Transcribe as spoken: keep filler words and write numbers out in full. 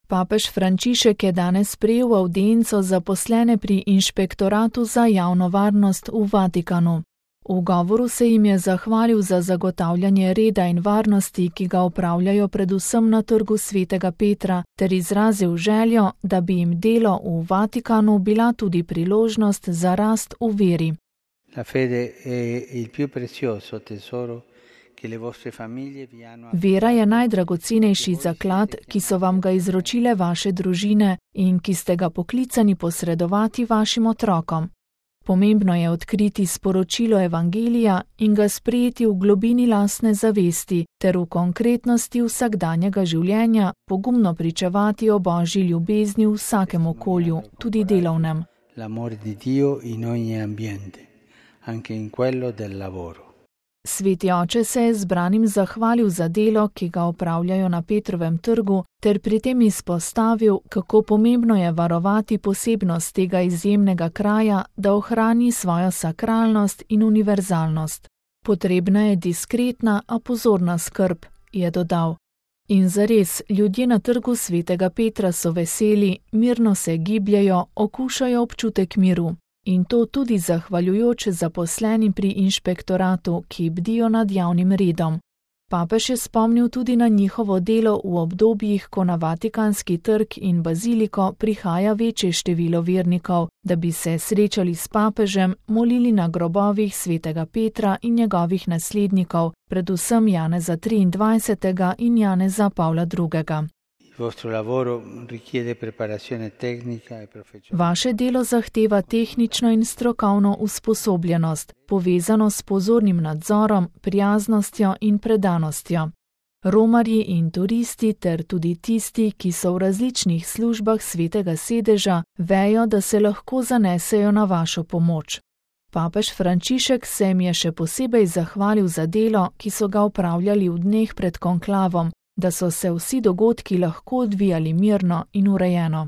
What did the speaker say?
Papež Frančišek je danes sprejel avdienco zaposlene pri Inšpektoratu za javno varnost v Vatikanu. V govoru se jim je zahvalil za zagotavljanje reda in varnosti, ki ga opravljajo predvsem na trgu Svetega Petra, ter izrazil željo, da bi jim delo v Vatikanu bila tudi priložnost za rast v veri. La fede è il più prezioso tesoro che le vostre famiglie vi hanno. Vera je najdragocenejši zaklad, ki so vam ga izročile vaše družine in ki ste ga poklicani posredovati vašim otrokom. Pomembno je odkriti sporočilo Evangelija in ga sprejeti v globini lastne zavesti ter v konkretnosti vsakdanjega življenja pogumno pričevati o Božji ljubezni v vsakem okolju, tudi delovnem. L'amore di Dio in ogni ambiente, anche in quello del lavoro. Sveti oče se je zbranim zahvalil za delo, ki ga opravljajo na Petrovem trgu, ter pri tem izpostavil, kako pomembno je varovati posebnost tega izjemnega kraja, da ohrani svojo sakralnost in univerzalnost. Potrebna je diskretna, a pozorna skrb, je dodal. In zares, ljudje na trgu Svetega Petra so veseli, mirno se gibljejo, okušajo občutek miru. In to tudi zahvaljujoč zaposlenim pri inšpektoratu, ki bdijo nad javnim redom. Papež je spomnil tudi na njihovo delo v obdobjih, ko na Vatikanski trg in baziliko prihaja večje število vernikov, da bi se srečali s papežem, molili na grobovih Svetega Petra in njegovih naslednikov, predvsem Janeza triindvajsetega in Janeza Pavla drugega. Vaše delo zahteva tehnično in strokovno usposobljenost, povezano s pozornim nadzorom, prijaznostjo in predanostjo. Romarji in turisti ter tudi tisti, ki so v različnih službah Svetega sedeža, vejo, da se lahko zanesejo na vašo pomoč. Papež Frančišek se jim je še posebej zahvalil za delo, ki so ga opravljali v dneh pred konklavom, da so se vsi dogodki lahko odvijali mirno in urejeno.